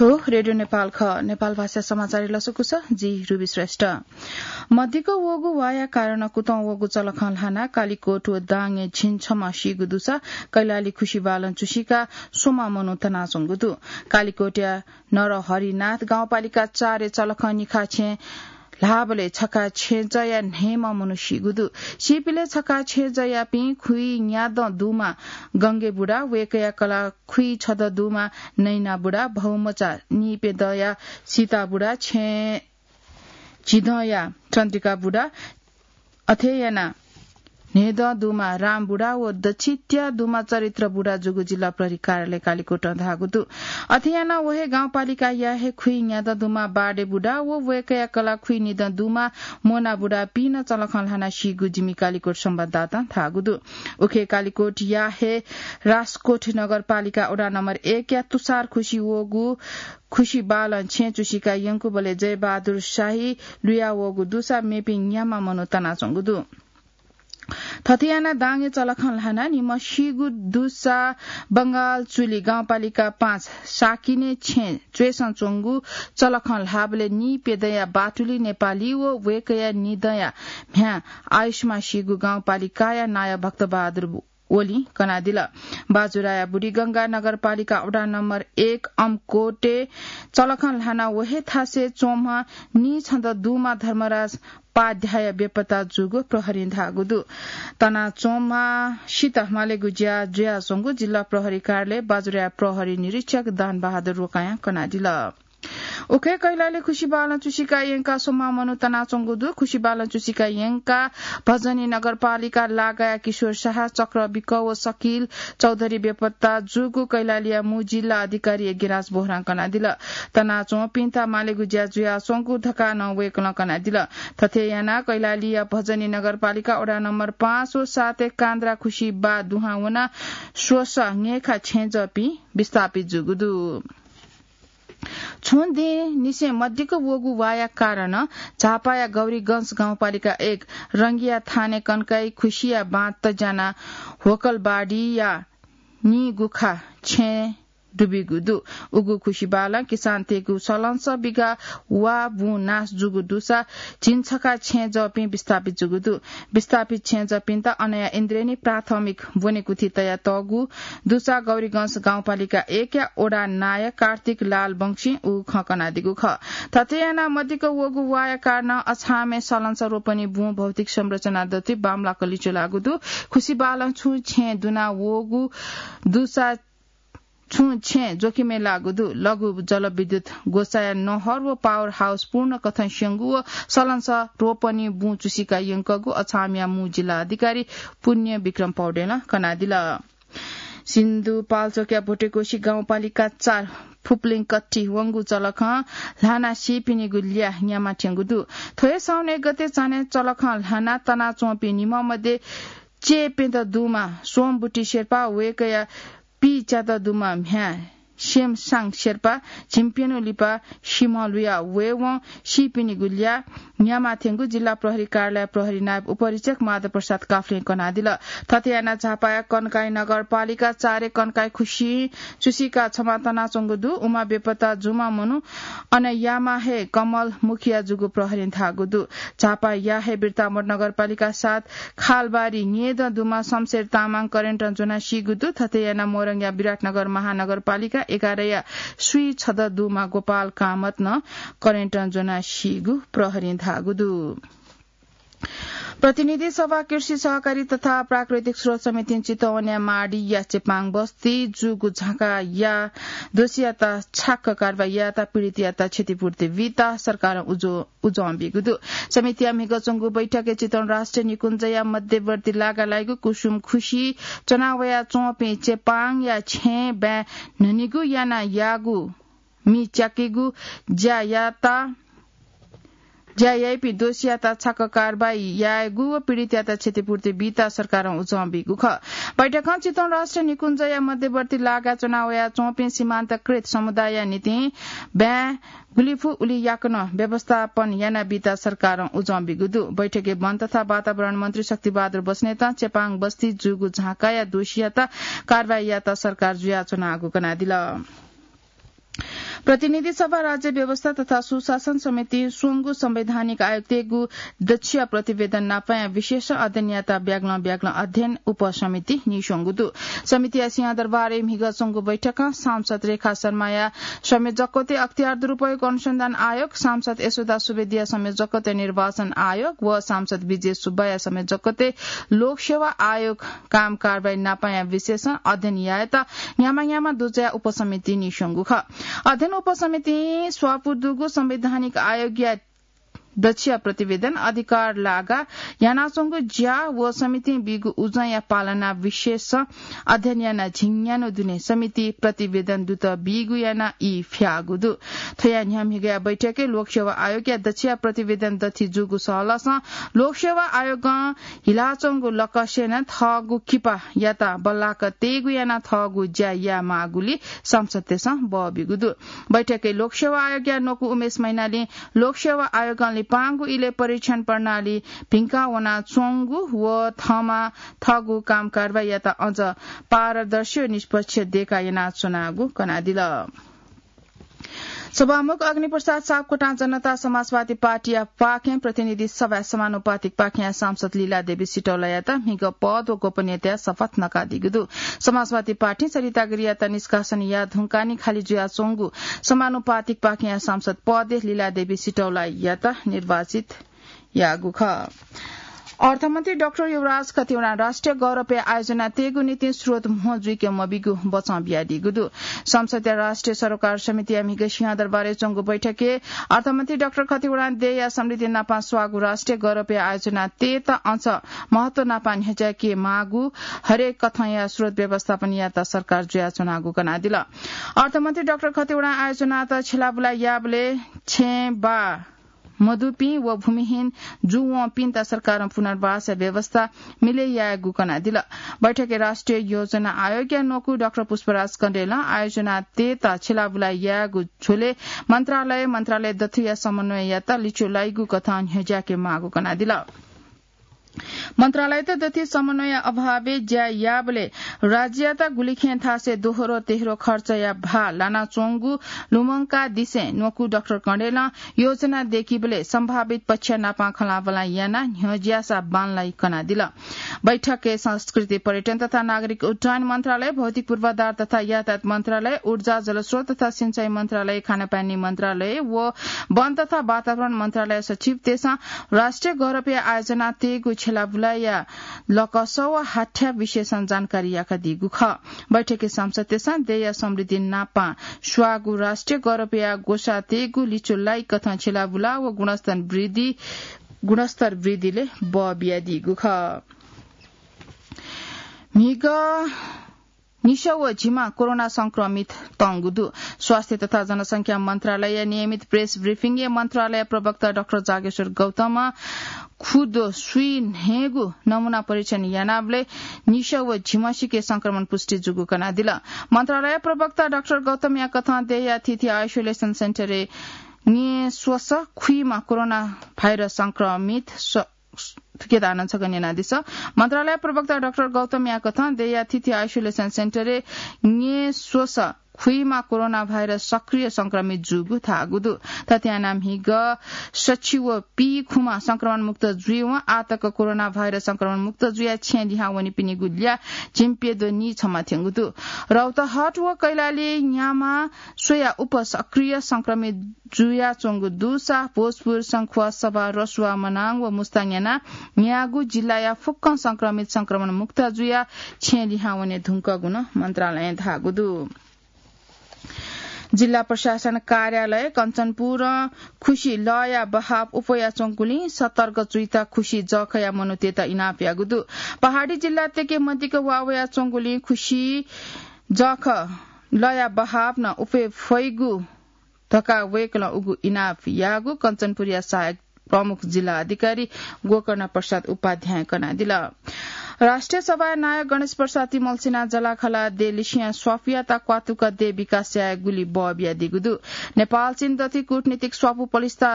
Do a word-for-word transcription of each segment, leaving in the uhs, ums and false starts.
थ्व रेडियो नेपाल खः। नेपाल भाषा समाचार लसकुस, जि रुबी श्रेष्ठ। मदिक्क वःगु वाया कारण कुतं वःगु चलखं ल्हानाः कालिकोट व दाङय् झिंछम्ह सीगु दुसा कैलाली खुसी बालं चुसिका स्वम्ह मनू तनाच्वंगु दु। कालिकोटया नरहरिनाथ गाउँपालिका चारय् चलखं निखा छेँ ल्हाःबलय् छखा छेँजःया न्हय्म्ह मनू सीगु दु। सीपिंलय् छखा छेँजःयापिं खुइन्यादँ दुम्ह गंगे बुढा, वय्कःया कलाः खुइछदँ दुम्ह नैना बुढा, भौमचा नीप्यदँया सीता बुढा, छेँ झिदँया चन्द्रिका बुढा, अथे यानाः न्हय्दँ दुम्ह राम बुढा व दछित्या दुम्ह चरित्र बुढा जूगु जिल्ला प्रहरी कार्यालय कालिकोटं धाःगु दु। अथे यानाः व हे गाउँपालिकाया हे खुइन्यादँ दुम्ह बाडे बुढा व वय्कःया कलाः खुइनिदँ दुम्ह मोना बुढापिं नं चलखं ल्हानाः सीगु जिमि कालिकोट संवाददातां धाःगु दु। उखे कालिकोटया हे राजकोट नगरपालिका वडा नम्बर एकया तुषार खुसी वःगु खुसी बालं छेँ चुसिका यंकूबलय् जयबहादुर शाही लुया वःगु दुसा मेपिं न्याम्ह मनू तनाच्वंगु दु। थथे यानाः दाङय् चलखं ल्हानाः निम्ह सीगु दुसा बंगाल चुली गाउँपालिका पाँच साकिने छेँ च्वय्सं च्वंगु चलखं ल्हाःबलय् नीप्यदँया बाटुली नेपाली व वय्कःया निदँया म्ह्याय् आयुष्मा सीगु गाउँपालिकाया नायः भक्तबहादुर ओलीं कनादिल। बाजुराया बुढीगंगा नगरपालिका वडा नम्बर एक अमकोटे चलखं ल्हानाः व हे थासय् च्वंम्ह नीछदँ दुम्ह धर्मराज पाध्याय बेपत्ता जूगु प्रहरीं धाःगु दु। तनाच्वंम्हसित मालेगु ज्या जुयाच्वंगु जिल्ला प्रहरी कार्यालय बाजुराया प्रहरी निरीक्षक दान बहादुर रोकायां कनादिल। उखे कैलाली खुसी बालं चुसिका यंकाः स्वम्ह मनू तनाच्वंगु दु। खुसी बालं चुसिका यंकाः भजनी नगरपालिका लागाया किशोर शाह, चक्र विक व सकिल चौधरी बेपत्ता जूगु कैलालीया मू जिल्ला अधिकारी यज्ञराज बोहरां कनादिल। तनाच्वंपिन्त मालेगु ज्या जुयाच्वंगु धकाः नं वय्कलं कनादिल। थथे यानाः कैलालीया भजनी नगरपालिका वडा नम्बर पाँच व सातय् कान्द्रा खुसी बा दुहां वनाः स्वसः न्हय्खा छेँजःपिं विस्थापित जूगु दु। छुं दिंनिसें मदिक्क वःगु वाया कारणं झापाया गौरीगंज गाउँपालिका एक रंगिया थानय् कन्काइ खुसिया बाँत ज्यानाः होकलबाडीया नीगुखा छेँ दुबिगु दु। उगु खुसी बालं किसानतय्गु सलंसः बिघा वा बुँ नाश जूगु दुसा झिंछखा छेँजःपिं विस्थापित जूगु दु। विस्थापित छेँजःपिन्त अनया इन्द्रेणी प्राथमिक ब्वनेकुथि तयातःगु दुसा गौरीगंज गाउँपालिका एकया वडा नायः कार्तिक लाल वंशीं उ खँ कनादीगु खः। थथे यानाः मदिक्क वःगु वाया कारणं अछामय् सलंसः रोपनी बुँ भौतिक संरचना दथुइ बांमलाक लिच्वलाःगु दु। खुसी बालं छुं छेँ दुना वःगु दुसा छुं छेँ जोखिमय् लाःगु दु। लघु जलविद्युत ग्वसाया नहर व पावर हाउस पूर्ण कथं स्यंगु व सलंसः रोपनी बुँ चुसिका यंकःगु अछामया मू जिल्ला अधिकारी पुण्य विक्रम पौडेलं कनादिल। सिन्धुपाल्चोकया भोटेकोशी गाउँपालिका चार फुप्लिङकट्टी वंगु चलखं ल्हाना सीपिनिगु ल्याः न्यामा थ्यंगु दु। थ्व हे साउन एक गते चान्हय् चलखं ल्हाना तनाच्वंपिं निम्ह मध्ये च्यय्प्यदँ दुम्ह सोमबुटी शेर्पा, वय्कःया पीच्यादँ दुम्ह म्ह्याय् सेमसाङ शेर्पा, झिंप्यन्हु लिपा सिम्ह लुया वयेवं सीपिनिगु ल्याः न्यामा थ्यंगु जिल्ला प्रहरी कार्यालय प्रहरी नायब उपरीक्षक माधव प्रसाद काफ्लें कनादिल। थथे यानाः झापाया कन्काई नगरपालिका चारय् कन्काई खुसी चुसिका छम्ह तनाच्वंगु दु। उम्ह बेपत्ता जूम्ह मनू अनयाम्ह हे कमल मुखिया जूगु प्रहरीं धाःगु दु। झापाया हे बिर्तामोड नगरपालिका सात खालबारी न्येदँ दुम्ह शमशेर तामाङ करेन्टं ज्वनाः सीगु दु। थथे यानाः मोरङया विराटनगर महानगरपालिका एघारया स्वीछदँ दुम्ह गोपाल कामत नं करेन्टं ज्वनाः सीगु प्रहरीं धाःगु दु। प्रतिनिधि सभा कृषि सहकारी तथा प्राकृतिक स्रोत समितिं चितवनया माडीया चेपाङ बस्ती जूगु झाँकाया दोषीयात छाक्क कारवाही यायेत पीडितयात क्षतिपूर्ति बीत सरकारं उजो उजं बीगु दु। समितिया म्हिगः च्वंगु बैठकय् चितवन राष्ट्रिय निकुञ्जया मध्यवर्ती लागा लाइगु कुसुम खुसी च्वना वयाच्वंपिं चेपाङया छेँ बाँय् न्हनिगु याना याःगु मि च्याकेगु ज्या यात, ज्या याइपिं दोषीयात छाक्क कारवाही यायेगु व पीडितयात क्षतिपूर्ति बीत सरकारं उजं बीगु खः। बैठकं चितवन राष्ट्रिय निकुञ्जया मध्यवर्ती लागा च्वना वयाच्वंपिं सीमान्तकृत समुदायया निंतिं बाँय् गुलि फु उलि याकनं व्यवस्थापन यानाबीत सरकारं उजं बीगु दु। बैठकय् वन तथा वातावरण मन्त्री शक्तिबहादुर बस्नेतं चेपाङ बस्ती जूगु झाँकाया दोषीयात कारवाही यायेत सरकार जुयाच्वनागु कनादिल। प्रतिनिधि सभा, राज्य व्यवस्था तथा सुशासन समितिं स्वंगू संवैधानिक आयोग तयेगु दच्छिया प्रतिवेदन नापंया विशेष अध्ययन यायेत ब्यागलं ब्यागलं अध्ययन उपसमिति नीस्वंगु दु। समितिया सिंहदरबारय् म्हिगः च्वंगु बैठकं सांसद रेखा शर्माया संयोजकत्वय् अख्तियार दुरुपयोग अनुसन्धान आयोग, सांसद यशोदा सुवेदीया संयोजकत्वय् निर्वाचन आयोग व सांसद विजय सुब्बाया संयोजकत्वय् लोकसेवा आयोग काम कारवाही नापंया विशेषं अध्ययन यायेत न्ह्यामा न्ह्यामा दुजया उपसमिति नीस्वंगु खः। अध्ययन उपसमितिं स्वापू दुगु संवैधानिक आयोगया दच्छिया प्रतिवेदन, अधिकार लागा यानाच्वंगु ज्या व समितिं बीगु उजंया पालना विशेष अध्ययन यानाः झिंन्यान्हु दुने समिति प्रतिवेदन दुत बीगु यानाः ई फ्याःगु दु। थ्वया न्ह्यः म्हिगःया बैठकय् लोकसेवा आयोगया दच्छिया प्रतिवेदन दथि जूगु सहलसं लोकसेवा आयोगं हिलाच्वंगु लकस्यं नं थःगु किपायात बल्लाक तयेगु यानाः थःगु ज्या यायेमाःगुलिं सांसदतय्सं बः बीगु दु। बैठकय् लोकसेवा आयोगया न्वकू उमेश मैनालीं लोकसेवा आयोगं लिपांगु इलय् परीक्षण प्रणाली भिंका वनाच्वंगु व थःम्हं थःगु काम कारवाहीयात अझ पारदर्शी व निष्पक्ष देका यानाच्वनागु कनादिल। सभामुख अग्निप्रसाद सापकोटां जनता समाजवादी पार्टीया पाखें प्रतिनिधि सभाय् समानुपातिक पाखेंया सांसद लीला देवी सिटौलायात म्हिगः पद व गोपनीयताया शपथ नकादीगु दु। समाजवादी पार्टीं सरिता गिरियात निष्कासन याये धुंकाः नि खाली जुयाच्वंगु समानुपातिक पाखेंया सांसद पदय् लीला देवी सिटौलायात निर्वाचित याःगु खः। अर्थमन्त्री डाक्टर युवराज खतिवडां राष्ट्रिय गौरवया आयोजना तयेगु निंतिं स्रोत म्हो जुइके मबीगु बचं बियादीगु दु। संसदया राष्ट्रिय सरोकार समितिया म्हिगः सिंहदरबारय् च्वंगु बैठकय् अर्थमन्त्री डाक्टर खतिवडां देय्‌या समृद्धि नापं स्वाःगु राष्ट्रिय गौरवया आयोजना तयेत अझ महत्व नापं न्ह्यज्याके माःगु हरेक कथंया स्रोत व्यवस्थापन यायेत सरकार जुयाच्वनागु कनादिल। अर्थमन्त्री डाक्टर खतिवडां आयोजनात छ्यलाबुला याःबलय् छेँ बाः मदुपिं व भूमिहीन जूवंपिन्त सरकारं पुनर्वासया व्यवस्था मिले यायेगु कनादिल। बैठकय् राष्ट्रिय योजना आयोगया न्वकू डाक्टर पुष्पराज कँडेलं आयोजना तयेत छ्यलाबुला यायेगु झ्वलय् मन्त्रालय, मन्त्रालय दथुया समन्वययात लिच्वलाइगु कथं न्ह्यज्याके माःगु कनादिल। मन्त्रालयत दथुइ समन्वय अभावय् ज्या याःबलय् राज्ययात गुलिखें थासय् दोहोरो तेह्रो खर्चया भार लानाच्वंगु लुमंकादिसें न्वकू डाक्टर कँडेलं योजना दय्‌कीबलय् सम्भावित पक्ष नापं खँल्हाबल्हा यानाः न्ह्यज्याःसा बांलाइ कनादिल। बैठकय् संस्कृति, पर्यटन तथा नागरिक उड्डयन मन्त्रालय, भौतिक पूर्वाधार तथा यातायात मन्त्रालय, ऊर्जा, जलस्रोत तथा सिंचाई मन्त्रालय, खानापानी मन्त्रालय व वन तथा वातावरण मन्त्रालय सचिवतय्सं राष्ट्रिय गौरवया आयोजना तयेगु छ्यलाबुलाया लकस व हाथ्या विषयसं जानकारी याकादीगु खः। बैठकय् सांसदतय्सं देय्‌या समृद्धि नापं स्वाःगु राष्ट्रिय गौरवया ग्वसाः तयेगु लिच्वलाइ कथं छ्यलाबुला व गुणस्तर वृद्धि, गुणस्तर वृद्धिलय् बः बियादीगु खः। म्हिगः निसः व झिम्ह कोरोना संक्रमित तंगु दु। स्वास्थ्य तथा जनसंख्या मन्त्रालयया नियमित प्रेस ब्रिफिङय् मन्त्रालय प्रवक्ता डाक्टर जागेश्वर गौतमं खुद सुइ न्हय्‌गु नमूना परीक्षण यानाबलय् निसः व झिम्हसिके संक्रमण पुष्टि जूगु कनादिल। मन्त्रालय प्रवक्ता डाक्टर गौतमया कथं देय्‌या थीथी आइसोलेसन सेन्टरय् न्येस्वसः खुइम्ह कोरोना भाइरस संक्रमित स-, थुकियात आनन्द छकः न्यनादिसँ। मन्त्रालय प्रवक्ता डाक्टर गौतमया कथं देय्‌या थीथी आइसोलेसन सेन्टरय् न्येस्वसः खुइम्ह कोरोना भाइरस सक्रिय संक्रमित जूगु धाःगु दु। थथे यानाः म्हिगः सछि व पीखुम्ह संक्रमण मुक्त जुइवं आःतक कोरोना भाइरस संक्रमण मुक्त जुयाः छेँय् लिहां वनीपिनिगु ल्याः झिंप्यद्वः नीछम्ह थ्यंगु दु। रौतहट व कैलाली न्याम्ह स्वयाः उप सक्रिय संक्रमित जुयाच्वंगु दुसा भोजपुर, शंखुवा, सभा, रसुवा, मनाङ व मुस्ताङ यानाः न्यागू जिल्लाया फुक्कं संक्रमित संक्रमण मुक्त जुयाः छेँय् लिहां वने धुंकूगु नं मन्त्रालयं धाःगु दु। जिल्ला प्रशासन कार्यालय कञ्चनपुरं खुसि लःया बहाव अप्वयाच्वंगुलिं सतर्क जुइत खुसि जःखःया मनूतय्त इनाप याःगु दु। पहाडी जिल्लातय्के मदिक्क वा वयाच्वंगुलिं खुसि जःखः लःया बहाव नं अप्वये फइगु धकाः वय्कलं उगु इनाप याःगु कञ्चनपुरया सहायक प्रमुख जिल्ला अधिकारी गोकर्ण प्रसाद उपाध्यायं कनादिल। राष्ट्रिय सभाया नायः गणेश प्रसाद तिमल्सिनां जलाखला देय् लिसिया स्वापुयात क्वातुक देय् विकास यायेगुलि बः बियादीगु दु। नेपाल चीन दथुइ कूटनीतिक स्वापु पलिस्था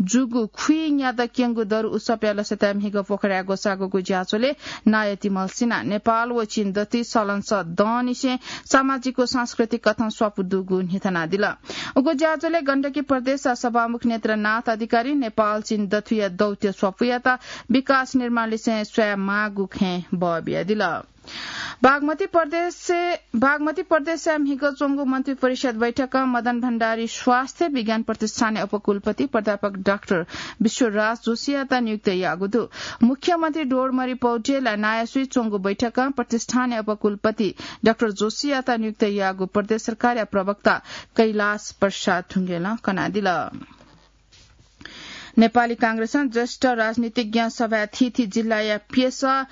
जूगु खुइन्यादँ क्यंगु दरु उत्सवया लसताय् म्हिगः पोखराय् ग्वसाःगु ज्याझ्वलय् नायः तिमल्सिनां नेपाल व चीन दथुइ सलंसः दँनिसें सामाजिक व सांस्कृतिक कथं स्वापु दुगु न्ह्यथनादिल। उगु ज्याझ्वलय् गण्डकी प्रदेशया सभामुख नेत्रनाथ अधिकारी नेपाल चीन दथुया दौत्य स्वापुयात विकास निर्माण लिसें स्वये माःगु खँय् बः बियादिल। बागमती प्रदेश, बागमती प्रदेशया म्हिगः च्वंगु मन्त्री परिषद बैठकं मदन भण्डारी स्वास्थ्य विज्ञान प्रतिष्ठानया उपकुलपति प्राध्यापक डाक्टर विश्वराज जोशीयात नियुक्त याःगु दु। मुख्यमन्त्री डोडमरी पौडेलया नायःसुइ च्वंगु बैठकं प्रतिष्ठानया उपकुलपति डाक्टर जोशीयात नियुक्त याःगु प्रदेश सरकारया प्रवक्ता कैलाश प्रसाद ढुङ्गेलं कनादिल। नेपाली कांग्रेसं ज्येष्ठ राजनीतिज्ञ सभाय् थीथी जिल्लाया प्यसः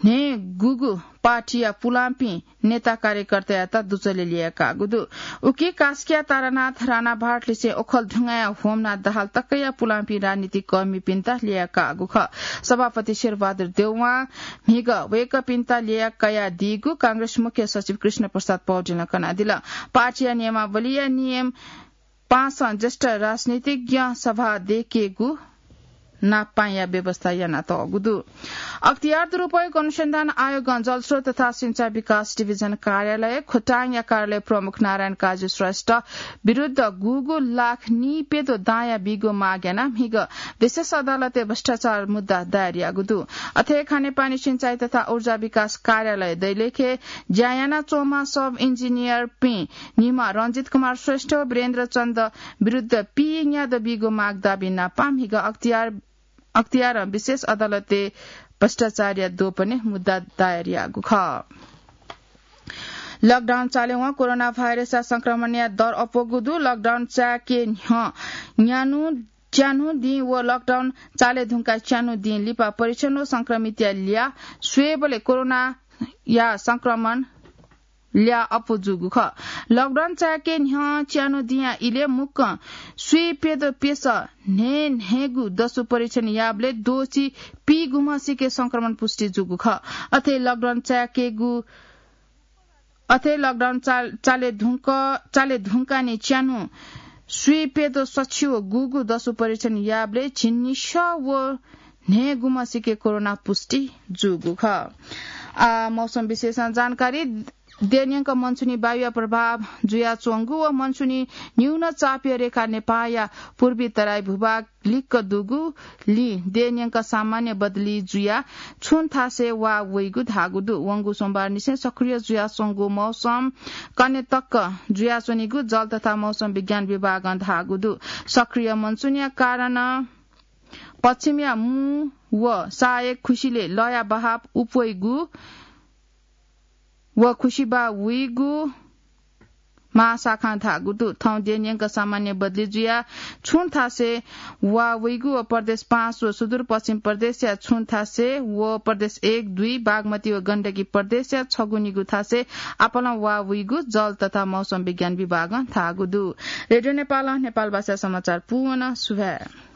न्हय्‌गूगु पार्टीया पुलांपिं नेता कार्यकर्तायात दुजलय् ल्यय्‌काःगु दु। उकी कास्कीया तारानाथ राणाभाट लिसें ओखलढुङ्गाया होमनाथ दाहाल तकया पुलांपिं राजनीतिक कर्मीपिन्त ल्यय्‌काःगु खः। सभापति शेरबहादुर देउवां म्हिगः वय्‌कःपिन्त ल्यय्‌कयादीगु कांग्रेस मुख्य सचिव कृष्ण प्रसाद पौडेलं कनादिल। पार्टीया नियमावलीया नियम पाँचं ज्येष्ठ राजनीतिज्ञ सभा दय्‌केगु नापपाँया व्यवस्था यानातःगु दु। अख्तियार दुरुपयोग अनुसन्धान आयोगं जलस्रोत तथा सिंचाई विकास डिभिजन कार्यालय खोटाङया कार्यालय प्रमुख नारायण काजी श्रेष्ठ विरुद्ध गुगु लाख नीप्यदँ दांया बीगु माग यानाः म्हिगः विशेष अदालतय् भ्रष्टाचार मुद्दा दायर याःगु दु। अथे खानेपानी सिंचाई तथा ऊर्जा विकास कार्यालय दैलेखय् ज्या यानाच्वंम्ह सब इन्जिनियरपिं निम्ह रञ्जित कुमार श्रेष्ठ व वीरेन्द्र चन्द विरुद्ध पीन्यादँ बीगु माग दाबी नापं म्हिगः अख्तियार, अख्तियारं विशेष अदालतय् भ्रष्टाचारया द्वपनय् मुद्दा दायर याःगु खः। लकडाउन चालेवं कोरोना भाइरसया संक्रमणया दर अप्वःगु दु। लकडाउन चायेके न्ह्यः न्यान्हु च्यान्हु दिं व लकडाउन चाले धुंकाः च्यान्हु दिं लिपा परीक्षण व संक्रमितया ल्याः स्वयेबलय् कोरोनाया संक्रमण ल्याः अप्वः जूगु खः। लकडाउन चायेके न्ह्यः च्यान्हु दिंया इलय् मुक्कं स्वीप्यदँ प्यसः न्हय्‌न्हय्‌गू दसु परीक्षण याःबलय् द्वःछि पीगुम्हसिके संक्रमण पुष्टि जूगु खः। अथे लकडाउन चायेकेगु अथे लकडाउन चाल-, चाले धुंक-, चाले धुंकाः च्यान्हु स्वीप्यदँ सछि व गुगु दसु परीक्षण याःबलय् झिंनिसः व न्हय्‌गुम्हसिके कोरोना पुष्टि जूगु खः। आ, मौसम विशेषं जानकारी। देय्‌न्यंक मनसुनी वायुया प्रभाव जुयाच्वंगु व मनसुनी न्यून चापया रेखा नेपाःया पूर्वी तराई भूभाग लिक्क दुगुलिं देय्‌न्यंक सामान्य बदली जुयाः छुं थासय् वाः वइगु धाःगु दु। वंगु सोमबारनिसें सक्रिय जुयाच्वंगु मौसम कन्हय् तक जुयाच्वनीगु जल तथा मौसम विज्ञान विभागं धाःगु दु। सक्रिय मनसुनया कारणं पश्चिमया मू व सहायक खुसिलय् लःया बहाव अप्वइगु व खुसिबाः वइगु महाशाखां धाःगु दु। थौं देय्‌न्यंक सामान्य बदली जुयाः छुं थासय् वाः वइगु व प्रदेश पाँच व सुदूरपश्चिम प्रदेशया छुं थासय् व प्रदेश एक, दुई, बागमती व गण्डकी प्रदेशया छगू निगू थासय् आपालं वाः वइगु जल तथा मौसम विज्ञान विभागं धाःगु दु। रेडियो नेपालं नेपाल भाषा समाचार पूवं सुभाय्।